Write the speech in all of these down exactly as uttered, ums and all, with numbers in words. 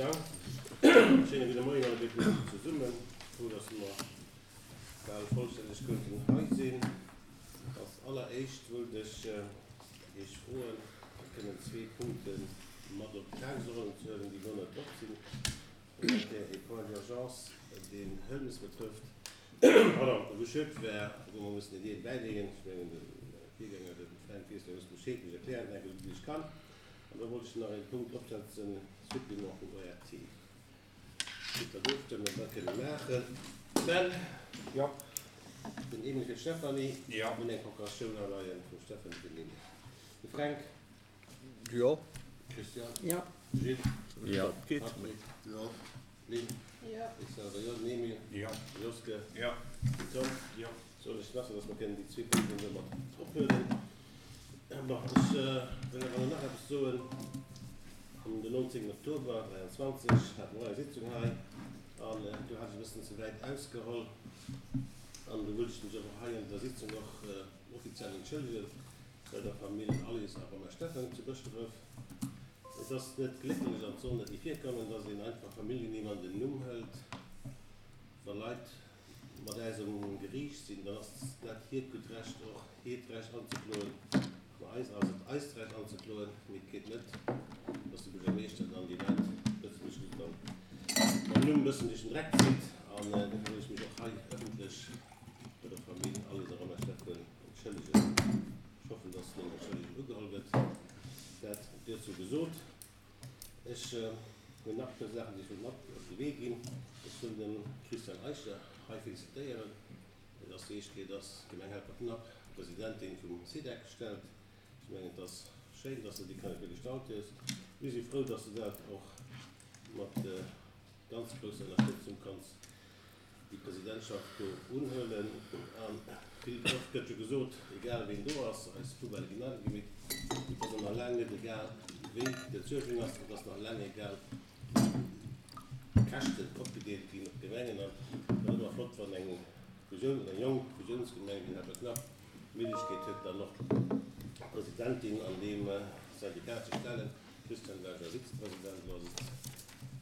Dank. Schéine gudde Moien alleguerten zesummen. Frou, dass mer bal vollstänneg konnten hei sinn. Als alleréischt wëllt ech Iech froen, fir kënnen zwee Punkte mat op d'Tagesordnung ze huelen, déi elo net drop sinn. Dat wär ee Point d'urgence, deen Hëlmes betrëfft, pardon, wou schued wär, wou mer mussen een Deel bäileeën. Ech mengen, de Virgänger, de Fränk, weess da just Bescheed, ech erklären dat esou gutt ech kann. An da wollt ech nach ee Punkt opsetzen, Supplément vum O R T. Gitt Der d'Ofstëmmung, ob dat kënne maachen? Ben? Jo. Den Emil fir d'Stéphanie. Jo. Mir hunn eng Procuratioun aleien vum Stéphanie fir den Emil. De Fränk? Jo. Christian? Jo. Gilles? Jo. Patrick? Jo. Lynn? Jo. Ech selwer jo. Den Emil? Jo. De Joske? Jo. Den Tom? Jo. Soll ech nach, dass mer kënnen déi zwee Punkten do mat ophuelen? Bon, ech wëll awer nach eppes soen. Am den nonzéngten Oktober dräianzwanzeg hate mer och eng Sitzung hei an do hat ech e bëssen ze wäit ausgeholl an do wëllt ech mech awer hei an der Sitzung och offiziell entschëllege bei der Famill Alice a Romain Steffen zu Bëschdref. Et ass net glécklech an et soll net ni virkommen, dass een einfach Familljennimm an den Numm hëlt. Wa Leit mat äis um Geriicht sinn, dann ass dat hiert gutt Recht, och hiert Recht anzekloen. Bei eis ass et eist Recht anzekloen, mee et geet net, dass de Buergermeeschter dann déi Leit ëffentlech just dann mam Numm e bëssen duerch den Dreck zitt. An dofir wëll ech mech och hei ëffentlech bei der Famill Alice a Romain Steffen entschëllegen. Ech hoffen, dass meng Entschëllegung ugeholl gëtt. Dat duerzou gesot. Ech hunn nach e puer Saachen, déi ech wëll mat op de Wee ginn. Ech wëll dem Christian Eicher hei felicitéieren. Et ass déi éischt Kéier, dass d'Gemeng Helperknapp Presidentin vum SIDEC stellt. Ech mengen, et ass schéin, dass de déi Kandidatur gestallt hues. Mir si frou, dass de dat och mat ganz grousser Ënnerstëtzung kanns déi Presidentschaft do unhuelen. A vill oft gëtt jo gesot, egal ween do ass, eis Poubellë ginn agegemeet. Et ass och nach laang net egal, wéi d'Entsuergung ass. Et ass nach laang egal, wéi d'Käschten opgedeelt ginn op d'Gemengen. An et ass ëmmer flott, wann eng Fusioun oder eng jonk Fusiounsgemeng wéi Helperknapp d'Méiglechkeet huet, dann och Presidentin an deem Syndikat ze stellen. Christian war jo Vizepresident, elo ass et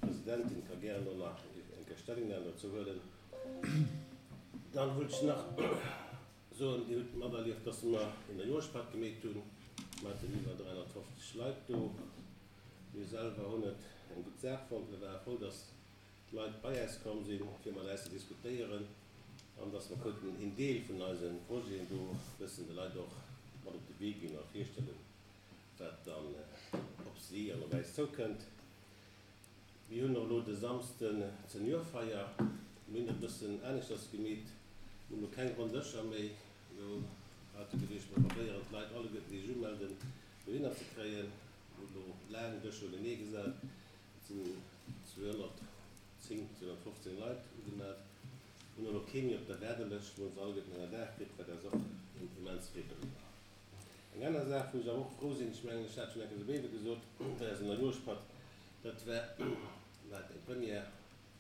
Presidentin, ka gären och nach eng Kéier Stellungnam dozou huelen. Dann wëllt ech nach soen, Dir hutt materlieft, dass mer een Neijooschpatt gemeet hunn. Mer haten iwwer dräihonnertfofzeg Leit do. Mir selwer hunn et eng gutt Saach fonnt. Mir ware frou, dass d'Leit bei äis komm sinn, fir mat äis ze diskutéieren an dass mer konnten een Deel vun eise Projeten do e bëssen de Leit och mat op de Wee ginn a virstellen, wat dann op si an op äis zoukënnt. Mir hunn och elo de Samsden d'Seniorfeier. Mir hunn dat e bëssen aneschters gemeet. Mir hunn elo keng ronn Dëscher méi. Elo hate geduecht, mer probéieren d'Leit alleguerten, déi sech umelden, dohinner ze kréien. Mir hunn elo laang Dëscher unenee gesat. Et sinn zweehonnertzéng, zweehonnertfofzéng Leit ugemellt. Mir hunn elo kee méi op der Waardelëscht. Mir hunn se alleguerten ënnerdaach kritt, wat eis och immens freet doriwwer. Eng aner Saach, wou ech awer och frou sinn, ech mengen, ech hat schonn eng Kéier esou gesot bei eisem Neijooschpatt, dat war, war eng Première,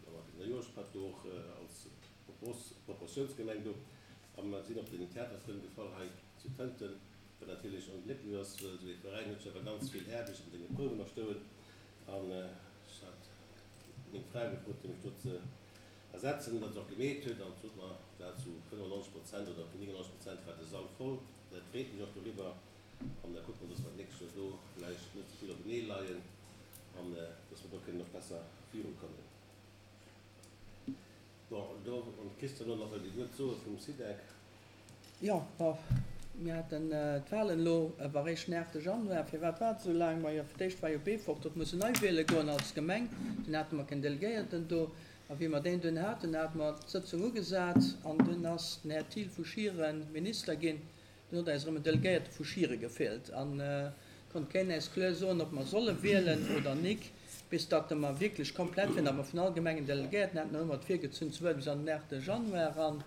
da war den Neijooschpatt do och als Proportiounsgemeng do a mer sinn op den Theaterfrënn gefall hei zu Tënten, wat natierlech onglécklech ass, well esou ee Veräin huet jo awer ganz vill Aarbecht an senge Prouwen och stoen. An ech hat meng Fra gefrot, fir mech do ze ersetzen, wat se och gemeet huet. An sot mer, et war zu fënnefannonzeg Prozent oder néngennonzeg Prozent war de Sall voll. Dat freet mech och doriwwer. An da kucke mer, dass mer d'nächst Joer do vläicht net esou vill openee leien an dass mer do kënnen och besser virukommen. Bon, do, wann de Christian elo nach wëllt ee Wuert soe vum SIDEC. Jo, bon, mir haten d'Wahlen elo awer eréischt den aachte Januar. Firwat war et esou laang? Majo, fir d'éischt war jo Beefort huet mussen nei wiele goen als Gemeng. Dunn hate mer keen Delegéierten do. A wéi mer deen dunn haten, hate mer d'Sëtzung ugesat an dunn ass den Här Thiel vu Schieren Minister ginn. Dunn huet eis erëm en Delegéierte vu Schiere gefeelt a konnt keen äis kloer soen, ob mer solle wielen oder nik, bis datt mer wierklech komplett wieren, datt mer vun all Gemeng en Delegéierten hätten. Dann hu mer et virgezunn ze wuarden bis an den aachte Januar eran.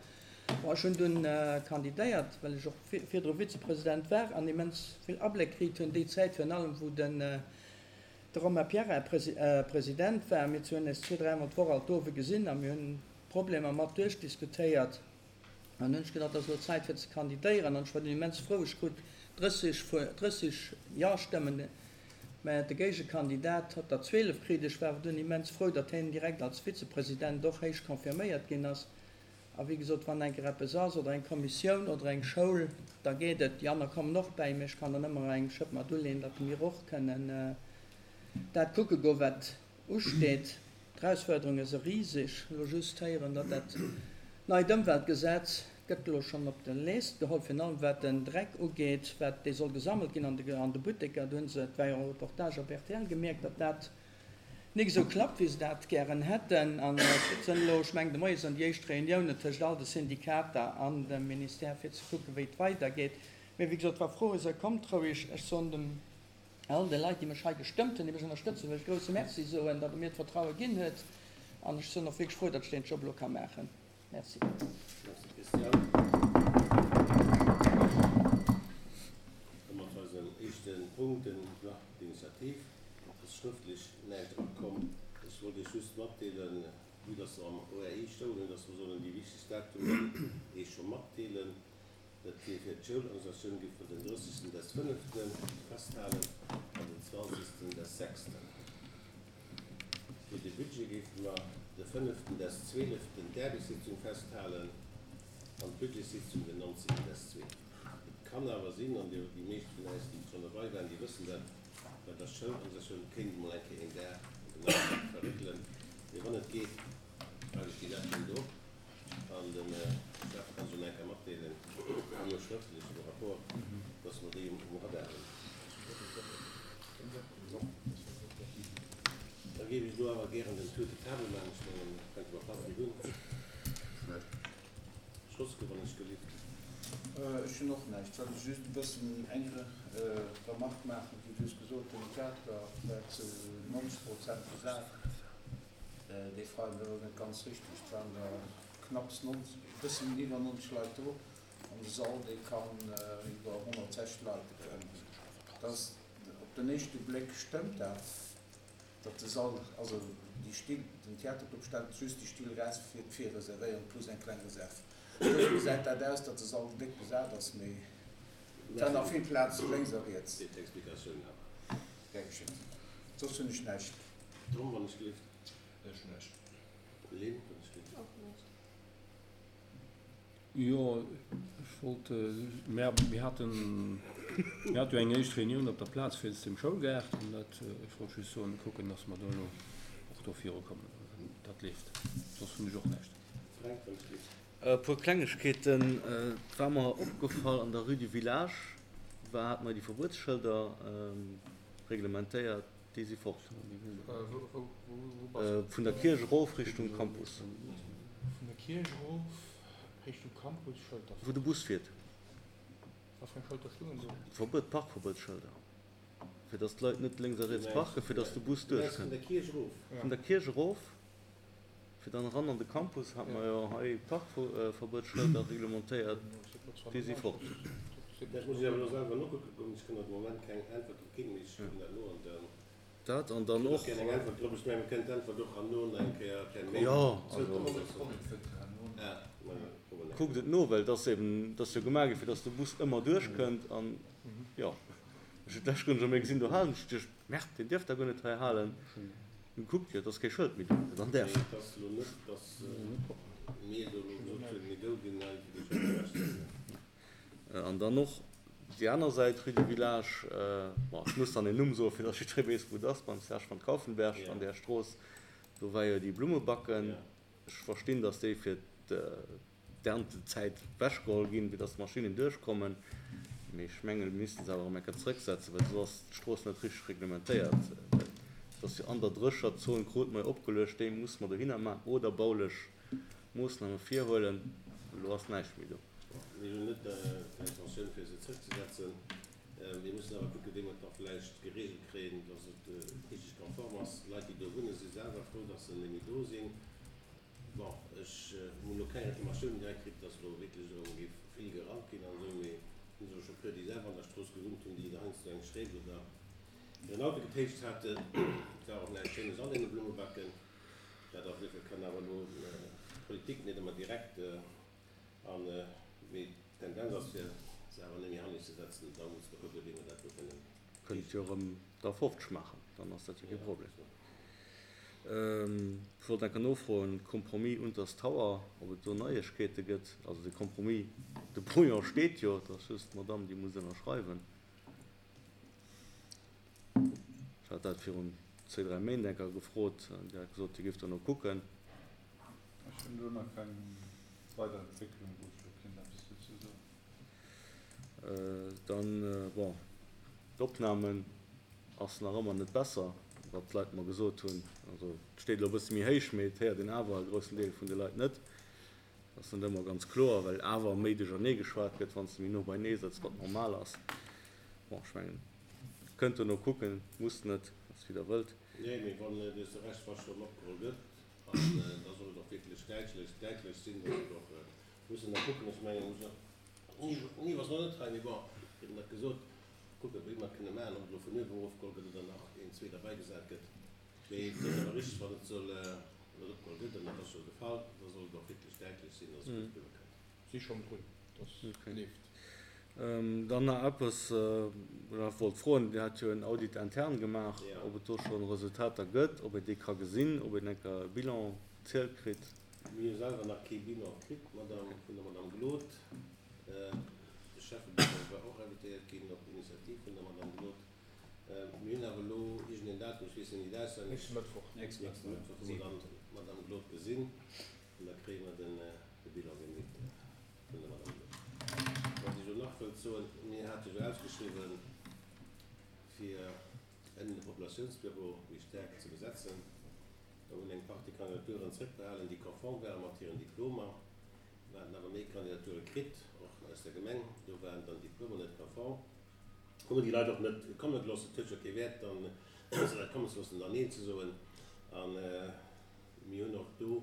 Bon, ech hunn dunn kandidéiert, well ech och virdru Vizepresident war an immens vill Abléck kritt hunn déi Zäit, virun allem wou den de Romain Pierrat President war. Mir zwee hunn eis zwee, dräimol d'Woch alt d'Owe gesinn a mir hunn d'Problemer mat duerchdiskutéiert. An dunn hunn ech gedacht, et ass elo Zäit fir ze kandidéieren. An ech war dunn immens frou, ech krut drësseg, drësseg Ja-Stëmmen. Mä de Géigekandidat hott der zwielef kritt. Ech war awer dunn immens frou, datt hien direkt als Vizepresident och héich confirméiert ginn ass. A wéi gesot, wann eng Kéier eppes ass oder eng Kommissioun oder eng Schoul, da geet et. Déi aner kommen och bäi mir. Ech kann dann ëmmer eng Schëpp mat uleeën, datt mir och kënnen dat kucke goen, wat usteet. D'Erausfuerderunge si riseg. Elo just héieren, datt dat neit Ëmweltgesetz gëtt elo schonn op de Leest geholl, virun allem wat den Dreck ugeet, wat dee soll gesammelt ginn an de an de Butteker. Do hunn se, et war jo e Reportage op rtl, gemierkt, datt dat nik esou klappt, wéi se dat gären hätten. An et sënn elo, ech mengen de Moie sënn déi éischt Reuniounen tëscht all de Syndikater an dem Ministère, fir ze kucken, wéi et weidergeet. Mee wéi gesot, wa Froe sënn, kommt roueg. Ech soen dem all de Leit, déi mech hei gestëmmt hunn, déi mech ënnerstëtzen, wëll ech e grousse Merci soen, datt Der mir d'Vertraue ginn huet. An ech sënn och wierklech frou, datt ech deen Job elo ka maachen. Merci. Merci Christian. Domat war eisen éischte Punkt, den Plan d'initiative. Et ass schrëftlech näischt erakomm. Ech wollt Iech just matdeelen, vue dass mer am O R I stoungen, dass mer sollen déi wichtegst Datumen Iech scho matdeelen. Dat wier fir d'Schoulorganisatioun géif mer den drëssigsten des fënneften festhalen an den zwanzigsten des sechsten. Fir de Budget géife mer de fënneften des zwieleften d'Aarbechtssitzung festhalen an d'Budgetsitzung den nonzéngten des zweeten. Et kann awer sinn, an déi meescht vun eis, déi schonn derbei waren, déi wëssen dat, bei der Schoulorganisatioun kéint emol eng Kéier een Dag op den Nachmittag verréckelen. Mee wann et geet, hale ech déi Daten do an de Chef kann se eng Kéier matdeelen, an och schrëftlech am Rapport, dass mer déi um Radar hunn. Da géif ech elo awer gären den Tour de table maachen. Ech mengen, dat könnte mer fertig hunn. Schloss wann ech gelift. Ech hunn och näischt. Soll ech just e bëssen eng Remarque maachen? Wéi du hues gesot, den Theater war zu neunzeg Prozent besat. Déi Freien, dat ass net ganz richtig. Et waren der knapps neunzeg, e bëssen iwwer neunzeg Leit do. An de Sall, dee kann iwwer honnertsechzeg Leit ënnerbréngen. Dat ass, op den éischte Bléck stëmmt dat, datt de Sall, also déi Still, den Theaterclub stellt just déi Still eraus fir d'Virreservéierung plus eng kleng Reserve. Dofir gesäit dat aus, datt de Sall déck besat ass, mee et war nach vill Plaz lénks a riets. Fir d'Explikatioun awer. Gär geschéckt. Soss hunn ech näischt. Tom, wann ech gelift. Ech näischt. Lynn, wann ech gelift. Och näischt. Jo, ech wollt, mir, mir haten, mir haten jo eng éischt Reunioun op der Plaz fir dem Schoulgaart an dat, ech wollt just soen, kucken, dass mer do elo och do virukommen. Dat leeft. Soss hunn ech och näischt. Frank, wann ech gelift. E puer Klengegkeeten. Et war mer opgefall, an der Rue du Village war, hat mer déi Verbuetsschëlder reglementéiert, déi si fort. Vun der Kierch erof Richtung Campus. Vun der Kierch erof Richtung Campus, Schëlter. Wou de Bus fiert. Was fir eng Schëlter stungen do? Verbuet, Parkverbuetsschëlder. Fir dass d'Leit net lénks a riets parken, fir dass de Bus duerchkënnt. Vun der Kierch erof. Vun der Kierch erof, fir dann eran an de Campus, hat mer jo hei Parkverbuetsschëlder reglementéiert, déi si fort. Dat muss ech awer elo selwer nokucke goen. Ech kann am Moment keng Äntwert drop ginn, mee ech kucken dat no an dann Dat an dann och. Eng Äntwert drop. Ech mengen, mir kënnen d'Äntwert och herno nach eng Kéier per Mail Jo, zoukommen also. loossen. Ah, ma kucken wir. Kuckt et no, well dat ass eben, dat ass jo gemaach gi fir dass de Bus ëmmer duerchkënnt an jo, ech hunn d'lescht Grënn scho méi gesinn, do halen ech duerch, Merde, deen dierf da guer net hei halen. Hun gekuckt, jo, et ass kee Schëld méi do, dann däerf. Nee, et ass elo net, dass mir do elo gesot hunn, mir do ginn hei fir déi Schëlder ewechzehuelen. An dann och déi aner Säit, Rue du Village, bon, ech muss dann den Numm soen, fir dass jidderee weess, wou et ass, beim Serge van Kaufenberg an där Strooss, do war jo déi Blummebacken. Ech verstinn, dass déi fir d'Erntezäit ewechgeholl ginn, fir dass d'Maschinen duerchkommen, mee ech mengen, mir missten se awer erëm eng Kéier zrëcksetzen, well soss ass d'Strooss net richteg reglementéiert. Well et ass jo an der Drécherzon, krut mer jo opgeluecht, déi muss mer dohinner maachen oder baulech Moossname virhuelen. Elo ass näischt méi do. Mir hunn net d'Intentioun, fir se zrëckzesetzen. Mir mussen awer kucken, wéi mer et da vläicht geregelt kréien, dass et richteg konform ass. D'Leit, déi do wunnen, si selwer frou, dass se net méi do sinn. Bon, ech hunn elo keng Reklamatioun direkt kritt, dass elo wierklech erëm géif vill gerannt ginn an esou, mee hunn se scho puer, déi selwer an der Strooss gewunnt hunn, déi heiansdo eng Schréif oder hiren Auto getéitscht haten. Et war och näischt Schéines an deene Blummebacken. Dat auf jeden Fall kann awer elo d'Politik net ëmmer direkt an, mee d'Tendenz ass, fir se awer net méi hannescht ze setzen. Da muss mer kucken, wéi mer dat do kënnen Kënnt jo erëm da fofzeg maachen, dann ass dat jo kee Problem. Ech wollt enker nofroen, Compromis Unters Tower, ob et do Neiegkeete gëtt. Also de Compromis, de Brouillon steet jo, et ass just d'Madame, déi muss ënnerschreiwen. Ech hat dat virun zwee, dräi Méint enker gefrot, Dir hat gesot, Dir géift dono kucken. Ech hunn do nach keng weider Entwécklung, wou ech elo kéint eppes dozou soen. Dann, bon, d'Opnamen ass nach ëmmer net besser, wat d'Leit mer gesot hunn. Also et steet elo e bësse méi héich, mee et héiert een awer e groussen Deel vun de Leit net. Dat ass net ëmmer ganz kloer, well awer méi duerchernee geschwat gëtt, wann s de méi no beinee sëtz, wat normal ass. Bon, ech mengen, kënnt dono kucken, musst net, ass wéi der wëllt. Nee, mee wann dës Rechtsverschwörung opgeholl gëtt, an da soll et och wierklech däitlech, däitlech sinn, dass et och, mussen da kucken, ech mengen, muss och, Niw ass nach net hei, mee bon, huet en dat gesot, kucken, wéi mer et kënne maachen, ob et elo vun uewen erofgeholl gëtt oder nach een, zwee derbäigesat gëtt. Mee et ass awer richteg, wann et soll, wann et opgeholl gëtt, an dat ass jo de Fall, da soll et och wierklech däitlech sinn, dass et gutt eriwwerkënnt. Si schonn drun, dass leeft. Dann nach eppes, wou ech nach wollt froen, Dir hat jo en Audit interne gemaach, ob et do scho Resultater gëtt, ob een déi ka gesinn, ob een enker e Bilan zielt kritt. Mir hu selwer nach kee Bilan kritt, Madame, vun der Madame Glod. De Schäffebüro war och invitéiert ginn op Initiativ vun der Madame Glod. Mir hunn awer elo iergendeen Datum, ech weess en net auswenneg. Nächste Mëttwoch. Nächste Mëttwoch hu mer dann d'Madame Glod gesinn an da kréie mer de Bilan deemnächst vun der Madame Glod. Wat ech elo nach wëllt soen, mir hate jo ausgeschriwwen, fir ënnen de Populatiounsbüro méi staark ze besetzen. Da hunn eng Partie Kandidaturen zréckbehalen, déi konform ware mat hiren Diplomer. Mir haten awer méi Kandidature kritt, och aus der Gemeng. Do waren dann d'Diplomer net konform. Hu mer déi Leit och net komme gelooss. Et huet jo kee Wäert, dann se Leit kommen ze loossen an dann Neen ze soen. A mir hunn och do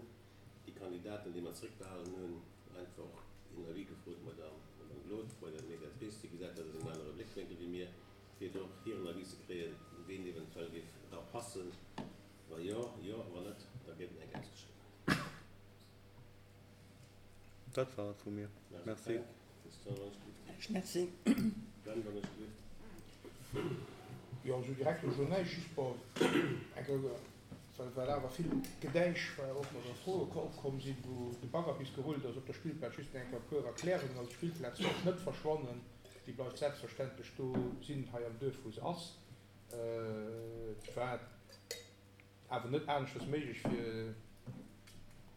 déi Kandidaten, déi mer zréckbehalen hunn, einfach een Avis gefrot bei der Madame Glod, bei der Mediatrice, déi gesat huet, dat ass en anere Bléckwénkel wéi mir, fir do och hiren Avis ze kréien, ween eventuell géif dra passen. Wa jo, jo, wa net, da gëtt en eng ausgeschriwwen. Dat war et vu mir. Merci. Merci. Ben, wann ech gelift. Jo, esou direkt elo näischt, just bon, eng Kéier, well well awer vill Gedäisch war, och oder Froe opkomm sinn, wou de Bagger bis gerullt ass op der Spillplaz. Just eng Kéier e puer Erklärungen. Also d'Spillplaz wäert net verschwannen, déi bleift selbstverständlech do sinn, hei am Duerf, wou se ass. Et war awer net aneschters méiglech, fir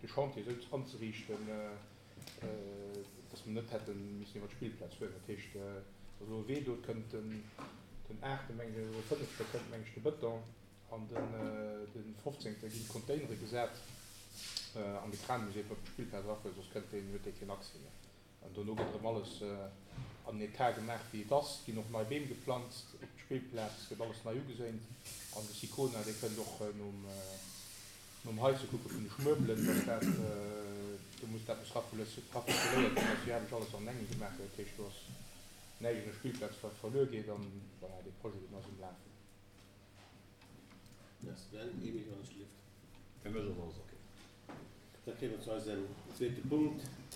de Chantier esou anzeriichten, dass mer net hätte missen iwwer d'Spillplaz fueren. Dat heescht, et ass elo e Wee do, et kënnt den aachte mengen ech, oder de fënnefte kënnt mengen ech de Bëton an den fofzéngte ginn d'Containere gesat an de Kran muss eben op d'Spillplaz erafueren, soss kënnt deen, huet dee keen Accès méi. An dono gëtt erëm alles an den Etat gemaach wéi et ass, et ginn och nei Beem geplanzt op d'Spillplaz, gëtt alles nei ugeséint an de Sicona, dee kënnt och nom nom Heise kucke vun de Schmuebelen, dass dat, do muss dat muss raffouléiert ginn, dass jo alles an engem gemaach gëtt, dat heescht do ass näischt un der Spillplaz wat verluer geet an voilà, dee Projet deen ass um Lafen. Merci Ben. Emile, wann ech gelift. Fir mech ass alles ok. Da kréie mer zu eisem zweete Punkt,